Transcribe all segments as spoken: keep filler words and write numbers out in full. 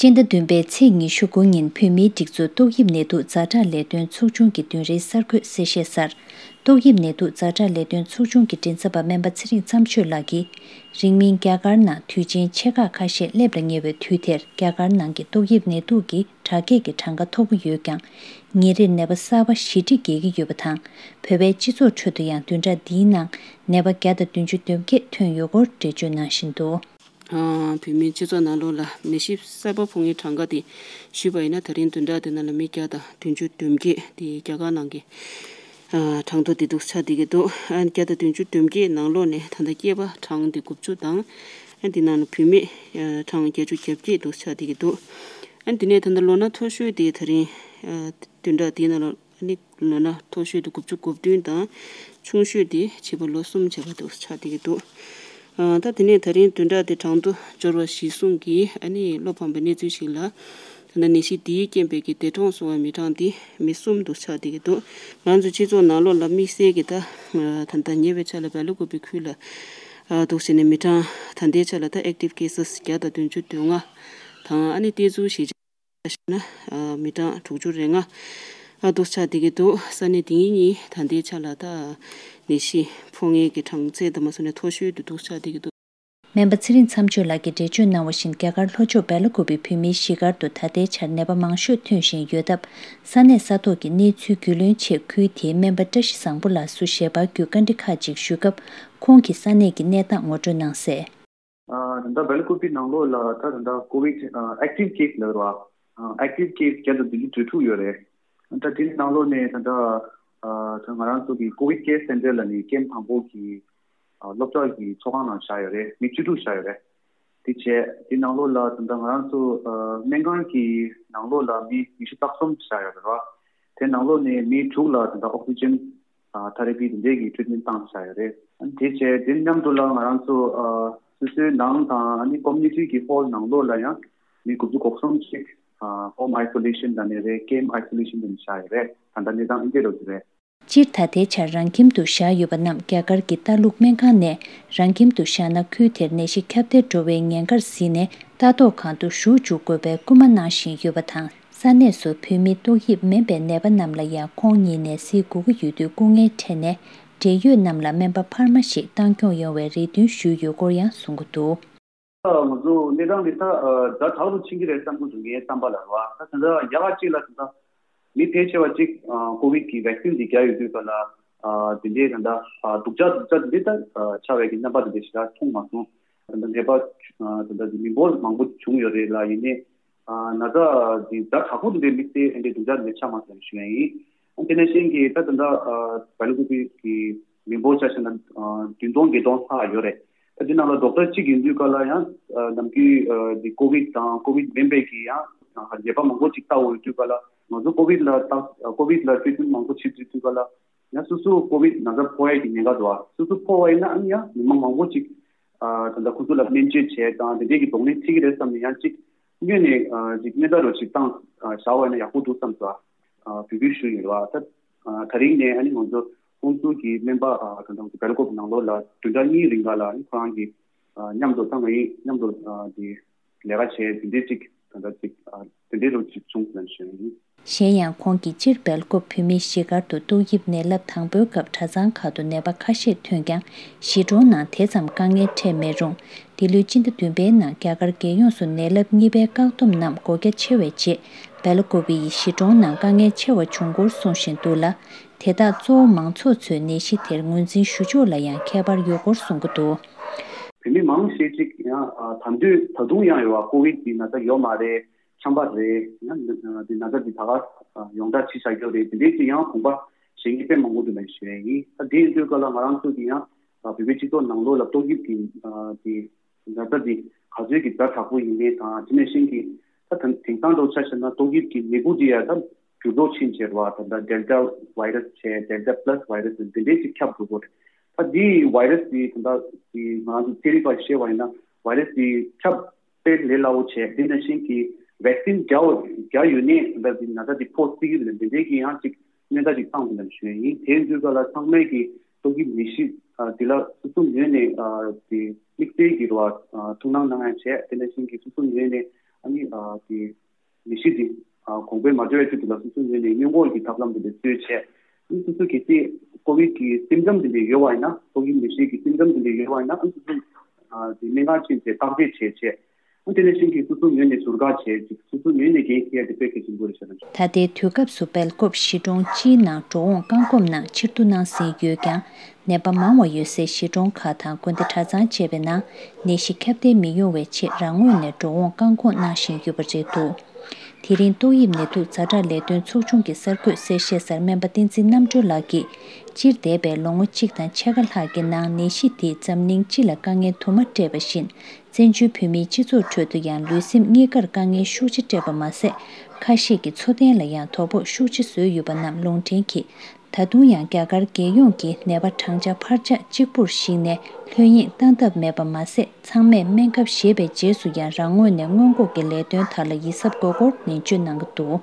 སྤྱི་ཟླ་བདུན་པའི་ཚེས་ཉི་ཤུ་དགུ་ཉིན་བོད་མིའི་སྒྲིག་འཛུགས་ཏོག་དབྱིབས་ནད་དུག་ཛ་དྲག་ལས་དོན་ཚོགས་ཆུང་གི་བདུན་རེའི་གསར་འགོད་གསལ་བཤད་གསར། ཏོག་དབྱིབས་ནད་དུག་ཛ་དྲག་ལས་དོན་ཚོགས་ཆུང་གི་མགྲིན་ཚབ་པ་སྨན་པ་ཚེ་རིང་མཚམས་གཅོད་ལགས་ཀྱིས། རིང་མིན་རྒྱ་གར་ནང་དུས་ཆེན་ཆེ་ཁག་ཁ་ཤས་སླེབས་ལ་ཉེ་བའི་དུས་དེར། རྒྱ་གར་ནང་གི་ཏོག་དབྱིབས་ནད་དུག་གི་དྲག་སྐྱེད་ཀྱི་གྲངས་ཀ་མཐོ་པོ་ཡོད་ཀྱང་། ཉིན་རེར་ནད་པ་གསར་པ་བཞི་ཁྲི་བརྒལ་གྱི་ཡོད་པ་དང་། བོད་པའི་སྤྱི་ཚོགས་ཁྲོད་དུ་ཡང་བདུན་ཕྲག་འདིའི་ནང་ནད་པ་བརྒྱ་དང་བདུན་ཅུ་དོན་བརྒྱད་ཐོན་ཡོད་སྐོར་འགྲེལ་བརྗོད་གནང་བཞིན་འདུག། ཨ། བོད་མིའི་སྤྱི་ཚོགས་ནང་ལོགས་ལ་ནད་གཞི་གསར་པ་ཕོག་མཁན་གྲངས་ཀ་དེ་ཞུས་པ་ཡིན་ན། ད་རིང་བདུན་ཕྲག་དེ་ནང་ལ་མི་བརྒྱ་དང་བདུན་ཅུ་དོན་བརྒྱད་དེ་རྒྱ་གར་ནང་གི་ཨ། གྲངས་ཐོ་དེ་འདུག་ཆགས་བསྡད་ཀྱི་འདུག། ཨ། བརྒྱ་དང་བདུན་ཅུ་དོན་བརྒྱད་ནང་ལོགས་ནས་ད་ལྟ་སྐྱེས་པ་གྲངས་དེ་དགུ་བཅུ་དང་། ཨ། དེ་ནང་ལ་བུད་མེད་ཨ། གྲངས་བརྒྱད་ཅུ་གྱ་བརྒྱད་འདུག་ཆགས་བསྡད་ཀྱི་འདུག། ཨ། དེ་ནས་ད་ལྟ་ལོ་ན་མཐོ་ཤོས་དེ་ད་རིང་ཨ། བདུན་ཕྲག་དེའི་ནང་ལ། ཨ་ནི་ལོ་ན་མཐོ་ཤོས་དེ་དགུ་བཅུ་གོ་བདུན་དང་། ཆུང་ཤོས་དེ་བྱིས་པ་ལོ་གསུམ་བྱས་པ་དེ་ཆགས་བསྡད་ཀྱི་འདུག། ཨ། ད་དེ་ནས་ད་རིང་བདུན་ཕྲག་དེ་གྲངས་ཐོ་འབྱོར་བ་གཞིར་བཟུང་གིས། ཨ་ནི་བློ་ཕམ་པའི་གནས་ཚུལ་ཞིག་ལ། ད་ལྟ་ནད་གཞི་འདིའི་རྐྱེན་པས་ཀྱི་འདས་གྲོངས་སོང་བའི་མི་གྲངས་དེ་མི་གསུམ་དུ་ཆགས་བསྡད་ཀྱི་འདུག། ང་ཚོ་སྤྱི་ཚོགས་ནང་ལོགས་ལ་དམིགས་བསལ་གྱི་ད་ད་ལྟ་ཉེ་བའི་ཆར་ལ་སྦེལ་ཀོབ་པི་ཁུལ་ལ་ཨ། འདུག་བྱས་ནས་མི་གྲངས་ད་ལྟའི་ཆ་ལ་ད་ཨེག་ཊིབ་ཀེ་སི་བརྒྱ་དང་བདུན་ཅུ་དོན་ལྔ་དང་། ཨ་ནི་གཏན་ཚུགས་གཞིས་ཆགས་ན་མི་གྲངས་དྲུག་ཅུ་རེ་ལྔ་འདུག་ཆགས་བསྡད་ཀྱི་འདུག། ས་གནས་དེ་གཉིས་ད་ལྟའི་ཆ་ལ་ད་ནད་གཞི་ཕོག་མཁན་གྱི་གྲངས་ཚད་དུ་མ་སོང་ནས་མཐོ་ཤོས་དུ་འདུག་ཆགས་བསྡད་ཀྱི་འདུག། སྨན་པ་ཚེ་རིང་མཚམས་གཅོད་ལགས་ཀྱིས་འགྲེལ་བརྗོད་གནང་བ་བཞིན། རྒྱ་གར་ལྷོ་ཕྱོགས་སྦེལ་ཀོབ་པའི་བོད་མིའི་གཞིས་སྒར་དུ་ད་ལྟའི་ཆར་ནད་པ་མང་ཤོས་ཐོན་བཞིན་ཡོད་སྟབས། ས་གནས་ས་ཐོག་གི་གནས་ཚུལ་རྒྱུས་ལོན་ཆེད་ཁུལ་དེའི་སྨན་པ་བཀྲ་ཤིས་བཟང་པོ་ལགས་སུ་ཞལ་པར་བརྒྱུད་བཀའ་འདྲི་ཁག་ཅིག་ཞུས་སྐབས། ཁོང་གིས་ས་གནས་ཀྱི་གནས་སྟངས་ངོ་སྤྲོད་གནང་གསལ། ཨ། ད་ལྟ་སྦེལ་ཀོབ་པི་ནང་ལོགས་ལ་ད་ད་ལྟ་ཀོ་བིད་ཨ། ཨེག་ཊིབ་ཀེ་སི་ལབ་རེད་བ། ཨ། ཨེག་ཊིབ་ཀེ་སི་བརྒྱ་དང་བདུན་ཅུ་དོན་དྲུག་ཡོད་རེད། ད་དེ་ནང་ལོགས་ནས་ད་ལྟ་ཨ། ད་ང་རང་ཚོ་གི་ཀོ་བིད་ཀེར་སེན་ཊར་ལ་ནི་ཀེམ་དང་པོ་གི་ཨ། སློབ་གྲྭ་གི་ཚོགས་ཁང་ནང་བཞག་ཡོད་རེད། མི་བཅུ་དྲུག་བཞག་ཡོད་རེད། དེ་བྱས་དེ་ནང་ལོགས་ལ་ད་ལྟ་ང་རང་ཚོ་ཨ། སྨན་ཁང་གི་ནང་ལོགས་ལ་མི་ཉི་ཤུ་རྩ་གསུམ་བཞག་ཡོད་རེད་བ། དེ་ནང་ལོགས་ནས་མི་དྲུག་ལ་ད་ལྟ་ཨོག་སི་ཇན་ཨ། ཐེ་ར་པི་དེ་འདྲས་ཀྱི་ཊི་རིཊ་མེན་ཊི་བཏང་བཞག་ཡོད་རེད། དེ་བྱས་དེ་མཉམ་དུ་ལ་ང་རང་ཚོ་ཨ། སོ་སོའི་ནང་དང་ཨ་ནི་ཀོ་མུ་ནི་ཊི་གི་ཧོལ་ནང་ལོགས་ལ་ཡང་མི་དགུ་བཅུ་གོ་གསུམ་ཞིག་ཨ། ཧོམ་ཨའི་སོ་ལེ་ཤན་དང་ནས་རེད། ཀེམ་ཨའི་སོ་ལེ་ཤན་དུ་བཞག་ཡོད་རེད། ད་ལྟ་གནས་སྟངས་འདི་འདྲས་རེད། སྤྱིར་ད་ལྟའི་ཆར་རང་ཁྱིམ་དུ་བཞག་ཡོད་པ་རྣམས་རྒྱ་གར་གྱི་ལྟ་ལུགས་སྨན་ཁང་ནས་རང་ཁྱིམ་དུ་བཞག་ན་ཁུལ་དེར་ནད་གཞི་ཁྱབ་གདལ་འགྲོ་བའི་ཉེན་ཁར་གཟིགས་ནས། ལྟ་རྟོག་ཁང་དུ་བཞུགས་འཇུག་དགོས་པའི་སྐུལ་མ་གནང་བཞིན་ཡོད་པ་དང་། ས་གནས་སུ་བོད་མི་ཏོག་དབྱིབས་མིན་པའི་ནད་པ་རྣམས་ལ་ཡང་ཁོང་ཉིད་ནས་གཟིགས་དགོས་ཀྱི་ཡོད་དུས། སྐུ་ངལ་འཕྲད་ནས་འབྲེལ་ཡོད་རྣམས་ལ་སྨན་པ་འཕར་མ་ཞིག་བཏང་སྐྱོང་ཡོང་བའི་རེ་འདུན་ཞུས་ཡོད་སྐོར་ཡང་གསུང་གི་འདུག། ང་ཚོ་གནས་སྟངས་འདི་ད་ཛ་དྲག་ཏུ་ཕྱིན་གྱི་རེད་བསམ་གྱི་འདུག། ངའི་བསམ་པ་ལ་རེད་བ། ད་ད་ལྟ་རྒྱ་གར་གཅིག་ལ་ད་ལྟ་མི་ཕལ་ཆེ་བ་གཅིག་ཨ། ཀོ་བིད་ཀྱི་ཝེག་སིན་འདི་བརྒྱབ་ཡོད་དུས་ག་ལ་ཨ། དེ་འདྲའི་ད་ལྟ་ཨ། སྡུག་ཅག་སྡུག་ཅག་དེ་འདྲའི་ད་ཨ། ཆགས་པའི་གི་རྣམ་པ་དེ་འདྲ་ཞིག་ད་མཐོང་མ་སོང་། ད་ལྟ་ནད་པ་ཨ། ད་ལྟ་མི་འབོར་མང་པོ་བྱུང་ཡོད་རེད་ལ། ཡིན་ནའི་ཨ། ན་ཚ་འདི་ཛ་དྲག་པོ་དེ་འདྲའི་དམིགས་བསལ་ཨ་འདྲའི་སྡུག་ཅག་དེ་འདྲ་ཆགས་མ་སོང་ཞུ་ཡ་ཡིན། ཨ། དེ་ནང་བཞིན་གྱི་ད་ད་ལྟ་ཨ། སྦེལ་ཀོབ་པི་གི་མི་འབོར་ཆ་བཞག་ན་ཨ། བདུན་སྟོང་བརྒྱད་སྟོང་ལྷག་ཡོད་རེད། ད་དེ་ནང་ལ་ཌོག་ཊར་གཅིག་ཡིན་དུས་ག་ལ་ཡང་ཨ། ནམ་རྒྱུན་ཨ། འདི་ཀོ་བིད་དང་ཀོ་བིད་མིན་པའི་གི་ཡང་ཨ། ནད་པ་མང་པོ་ཅིག་ལྟ་འོས་དུས་ག་ལ། ང་ཚོ་ཀོ་བིད་ལ་ལྟ་ཀོ་བིད་ལ་ཊི་རིཊ་མེན་ཊི་མང་པོ་བྱེད་དུས་དུས་ག་ལ། ཡང་སོ་སོ་ཀོ་བིད་ན་ཚ་ཕོག་ཡས་ཀྱི་ཉེན་ཁ་འདུག་ཨ། སོ་སོ་ཕོག་པ་ཡིན་ན་ཨ་ནི་ཡང་མི་མང་མང་པོ་ཅིག་ཨ། ད་ལྟ་ཁོ་ཚོ་ལ་སྨན་བཅོས་བྱས་དང་དེ་འདྲས་ཀྱི་གདོང་ལེན་འཁྲི་གི་རེད་བསམ་ནས་ཡང་ཅིག་སྔོན་ནས་ཨ། ཅིག་སྨན་ད་རོ་ཅིག་བཏང་ཨ། བཞག་པ་ཡིན་ན་ཡག་པོ་འདུག་བསམ་སོང་ཨ། འབོད་སྐུལ་ཞུ་ཡིན་རེད་བ། ད་ཨ། ད་རིང་ནས་ཨ་ནི་ང་ཚོ་ཁོང་ཚོ་གི་སྨན་པ་ཨ། ད་ལྟ་སྦེལ་ཀོབ་ནང་ལོགས་ལ་བདུན་ཕྲག་གཉིས་རིང་ག་ལ་ཨ་ནི་ཁོ་རང་གི་ཨ། མཉམ་དུ་ད་ང་ཡིས་མཉམ་དུ་ཨ། དེ་ལས་ཀ་བྱས་དེ་འདྲས་ཅིག་ད་ལྟ་ཅིག་ཨ། དེ་འདྲས་རུ་ཅིག་བྱུང་ཟེར་ཞུ་ཡིན། གཞན་ཡང་ཁོང་གིས་སྤྱིར་སྦེལ་ཀོབ་བོད་མིའི་གཞིས་སྒར་དུ་ཏོག་དབྱིབས་ནད་རླབས་དང་པོའི་སྐབས་གྲྭ་ཚང་ཁག་ཏུ་ནད་པ་ཁ་ཤས་ཐོན་ཀྱང་། གཞིས་གྲོང་ནང་དེ་ཙམ་དཀའ་ངལ་འཕྲད་མེད་རུང་། འདི་ལོའི་སྤྱི་ཟླ་བདུན་པའི་ནང་རྒྱ་གར་རྒྱལ་ཡོངས་སུ་ནད་རླབས་གཉིས་པའི་བཀག་སྡོམ་རྣམས་སྒོ་རྒྱ་ཆེ་བའི་རྗེས། སྦེལ་ཀོབ་ཡི་གཞིས་གྲོང་ནང་དཀའ་ངལ་ཆེ་བ་བྱུང་སྐོར་གསུང་བཞིན་འདུག་ལ། དེ་དག་གཙོ་བོ་མང་ཚོགས་ཚོས་ནད་གཞི་དེར་ངོས་འཛིན་ཞུ་ཕྱོགས་ལ་ཡང་ཁྱད་པར་ཡོད་སྐོར་གསུང་གི་འདུག། བོད་མི་མང་ཆེ་ཅིག་ཡང་ད་དུང་ད་དུང་ཡང་ཡོད་པ་ཀོ་བིད་ཀྱི་ན་ཚ་ཡོད་མ་རེད། ཆམ་པ་རེད། ཡང་འདི་ན་ཚ་འདི་ད་ག་ཡོངས་གྲགས་ཕྱིན་བཞག་རྒྱུ་རེད། དེ་འདྲའི་ཅིག་ཡང་དགོངས་པ་བཞེས་མཁན་དཔེ་མང་པོ་འདུག་ལབ་ཞུ་ཡ་ཡིན། ད་དེ་ཡིན་དུས་ག་ལ་ང་རང་ཚོ་གི་ཡང་བོད་པའི་སྤྱི་ཚོགས་ནང་ལོགས་ལ་ཏོག་དབྱིབས་ཀྱི་དེ་ན་ཚ་འདི་ག་ཚོད་ཀྱི་ཛ་དྲག་པོ་ཡིན་མིན་དང་། དེ་ནང་བཞིན་གྱི་ད་དེང་སང་འདྲ་ཆ་བཞག་ན་ཏོག་དབྱིབས་ཀྱི་ནད་འབུ་འདི་ཡང་ད་འགྱུར་ལྡོག་ཕྱིན་བྱས་རེད་བ། ད་ལྟ་ཌེལ་ཊ་བྷའི་ར་སི་བྱས། ཌེལ་ཊ་པ་ལ་སི་བྷའི་ར་སི་འདི་འདྲའི་ཅིག་ཁྱབ་འགྲོ་གི་རེད། ད་འདི་བྷའི་ར་སི་འདི་ད་ལྟ་འདི་ང་རང་ཚོ་ཚན་རིག་པ་བཤད་པ་ཡིན་ན་བྷའི་ར་སི་འདི་ཁྱབ་དཔེ་ལས་སླ་བོ་བྱས། དེ་ནང་བཞིན་གྱི་ཝེག་སིན་བརྒྱབ་བརྒྱབ་ཡོད་ནའི་ད་ལྟ་འདི་ན་ཚ་འདི་ཕོག་སྲིད་ཀྱི་རེད། འདི་འདྲའི་གི་ཡང་ཅིག་གནོན་ཚ་ཅིག་བཏང་འདུག་ལབ་ཞུ་ཡ་ཡིན། དེ་ཡིན་དུས་ག་ལ་ཚང་མས་ཀྱི་ཏོག་དབྱིབས་ནད་གཞི་འདི་ལ་སོ་སོ་ངོས་ནས་འདི་དམིགས་བསལ་གྱི་རེད་བ་ཐུགས་སྣང་གནང་ཡ་བྱས། དེ་ནང་བཞིན་གྱི་སོ་སོ་ངོས་ནས་ ཨ་ནི་ཨ་དེ་ནད་གཞི་དེ་ཨ་གོང་འཕེལ་མ་འགྲོ་བའི་ཆེད་དུ་ལ་སོ་སོའི་ངོས་ནས་སྔོན་འགོག་གི་ཐབས་ལམ་དེ་འདྲ་འཚོལ་བྱས། ཨ་ནི་སོ་སོ་གལ་སྲིད་ཀོ་བིད་ཀྱི་སིམ་ཊམ་དེ་འདྲ་ཡོད་པ་ཡིན་ན། ཏོག་དབྱིབས་ནད་གཞི་གི་སིམ་ཊམ་དེ་འདྲ་ཡོད་པ་ཡིན་ན། ཨ་ནི་སོ་སོ་ཨ་དེ་སྨན་ཁང་ཕྱིན་བྱས་བརྟག་དཔྱད་བྱས་བྱས། ཨ་ནི་དེ་ནས་གཞན་གྱིས་སོ་སོའི་ངོས་ནས་ཟུར་བཀག་བྱས་ཅིག་སོ་སོའི་ངོས་ནས་འགན་འཁྱེར་ཡ་དེ་དཔེ་གལ་ཆེན་པོ་རེད་ཤག་ད་ལྟའི་དུས་སྐབས་སུ་སྦེལ་ཀོབ་གཞིས་གྲོང་སྤྱིའི་ནང་འགྲོ་འོང་བཀག་འགོག་ནང་ཕྱིར་བསྡུ་གནང་ཟིན་ཡོད་ཀྱང་། ནད་པ་མང་བ་ཡོད་སའི་གཞིས་གྲོང་ཁག་དང་དགོན་སྡེ་གྲྭ་ཚང་བཅས་པའི་ནང་ནད་གཞི་ཁྱབ་གདལ་མི་ཡོང་བའི་ཆེད་རང་ངོས་ནས་འགྲོ་འོང་བཀག་འགོག་གནང་བཞིན་ཡོད་པ་རེད་འདུག་དེ་རིང་ཏོག་དབྱིབས་ནད་དུག་ཛ་དྲག་ལས་དོན་ཚོགས་ཆུང་གི་གསར་འགོད་གསལ་བཤད་གསར་སྨན་པ་བསྟན་འཛིན་རྣམ་གྲོལ་ལགས་ཀྱིས། སྤྱིར་འདས་པའི་ལོ་ངོ་གཅིག་དང་ཕྱེད་ཀ་ལྷག་གི་ནང་ནད་གཞི་དེས་འཛམ་གླིང་སྤྱི་ལ་དཀའ་ངལ་དུ་མ་སྤྲད་པ་བཞིན། བཙན་བྱོལ་བོད་མིའི་སྤྱི་ཚོགས་ཁྲོད་དུ་ཡང་ལུས་སེམས་གཉིས་ཀར་དཀའ་ངལ་ཤུགས་ཆེ་སྤྲད་པ་མ་ཟད། ཁ་ཤས་ཀྱི་འཚོ་རྟེན་ལ་ཡང་དོ་ཕོག་ཤུགས་ཆེ་བཟོས་ཡོད་པ་རྣམས་ལུང་འདྲེན་གྱིས། ད་དུང་ཡང་རྒྱ་གར་རྒྱལ་ཡོངས་ཀྱི་ནད་པ་གྲངས་ཆ་འཕར་ཆག་གཅིག་པུར་གཞིགས་ནས་ལྷོད་གཡེང་བཏང་ཐབས་མེད་པ་མ་ཟད། ཚང་མས་སྨན་ཁབ་བཞེས་པའི་རྗེས་སུ་ཡང་རང་ངོས་ནས་སྔོན་འགོག་གི་ལས་དོན་དག་ལ་ཡིད་གཟབ་དགོས་སྐོར་ནན་བརྗོད་གནང་གི་འདུག་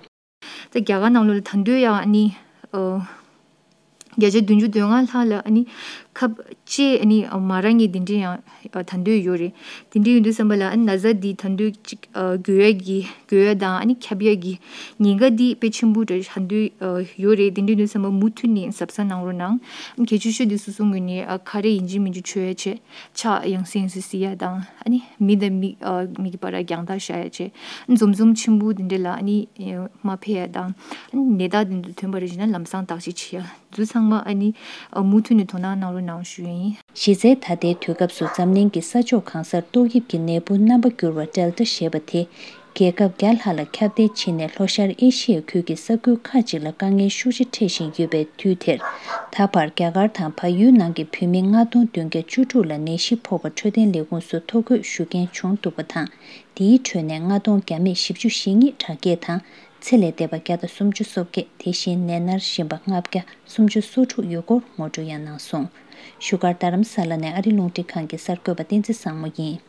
ད་རྒྱ་གར་ནང་ལོགས་ལ་ད་དུང་ཡང་ཨ་ནི་ཨ་བརྒྱ་ཆ་བདུན་ཅུ་དོན་ལྔ་ལྷག་ལ་ཨ་ནི་ཁབ་ལྕེ་ཨ་ནི་མ་རག་མཁན་དེ་འདྲ་ཡང་ཨ་ད་དུང་ཡོད་རེད། དེ་འདྲ་ཡོད་དུས་ཙམ་པ་ལ་ཨ་ནི་ན་ཚ་འདི་ད་དུང་ཅིག་ཨ་འགོས་ཡ་གི་འགོས་ཡ་དང་ཨ་ནི་ཁྱབ་ཡ་གི་ཉེན་ཁ་འདི་དཔེ་ཆེན་པོ་འདྲ་ད་དུང་ཨ་ཡོད་རེད། དེ་འདྲ་ཡོད་དུས་ཙམ་པ་མུ་མཐུད་ནས་གཟབ་གཟབ་གནང་རོགས་གནང་། གལ་ཆེ་ཤོས་འདི་སོ་སོ་ངོས་ནས་ཨ་ཁ་རས་ཡིན་གཅིག་མིན་གཅིག་མཆོད་ཡ་བྱས། ཕྱག་ཡང་སེ་ཡང་སེ་བསིལ་ཡ་དང་ཨ་ནི་མི་དང་མི་ཨ་མི་གི་བར་རྒྱང་ཐག་བཞག་ཡ་བྱས། འཛོམས་འཛོམས་ཆེན་པོ་འདི་འདྲ་ལ་ཨ་ནི་མ་ཕེབས་ཡ་དང་། ཨ་ནི་ནད་རྟགས་འདི་ཚོ་ཐོན་པ་རེད་ཟེར་ན་ལམ་སང་བརྟག་དཔྱད་བྱེད་ཡ། འདི་ཚང་མ་ཨ་ནི་ཨ་མུ་མཐུད་ནས་དོ་སྣང་གནང་རོགས་གནང་ཞུ་ཡ་ཡིན། གཞི་རྩའི་ད་ལྟའི་དུས་སྐབས་སུ་འཛམ་གླིང་གི་ས་ཕྱོགས་གང་སར་ཏོག་དབྱིབས་ཀྱི་ནད་འབུ་རྣམ་པ་འགྱུར་བ་ཌེལ་ཊ་ཞེས་པ་དེ། རྒྱལ་ཁབ་བརྒྱ་ལྷག་ལ་ཁྱབ་གདལ་ཕྱིན་ནས་ལྷོ་ཤར་ཨེ་ཤི་ཡའི་ཁུལ་གྱི་ས་ཁུལ་ཁག་ཅིག་ལ་དཀའ་ངལ་ཤུགས་ཆེ་འཕྲད་བཞིན་ཡོད་པའི་དུས་དེར། ད་བར་རྒྱ་གར་དང་བལ་ཡུལ་ནང་གི་བོད་མི་ལྔ་སྟོང་བདུན་བརྒྱ་བཅུ་དྲུག་ལ་ནད་གཞི་ཕོག་པ་འཕྲོད་བསྟེན་ལས་ཁུངས་སུ་ཐོ་འགོད་ཞུ་མཁན་བྱུང་འདུག་པ་དང་། དེའི་ཁྲོད་ནས་ལྔ་སྟོང་བརྒྱ་མེད་བཞི་བཅུ་ཞེ་གཉིས་དྲག་སྐྱེད་དང་། ཚེ་ལས་འདས་པ་བརྒྱ་དང་སུམ་ཅུ་སོ་བརྒྱད། དེ་བཞིན་ནད་མནར་བཞིན་པ་ལྔ་བརྒྱ་སུམ་ཅུ་སོ་དྲུག་ཡོད་སྐོར་ངོ་སྤྲོད་ཡང་གནང་སོང་། བཞུགས་སྒར་རྡ་རམ་ས་ལ་ནས་ཨ་རི་རླུང་འཕྲིན་ཁང་གི་གསར་འགོད་པ་བསྟན་འཛིན་བཟང་མོ་ཡིན།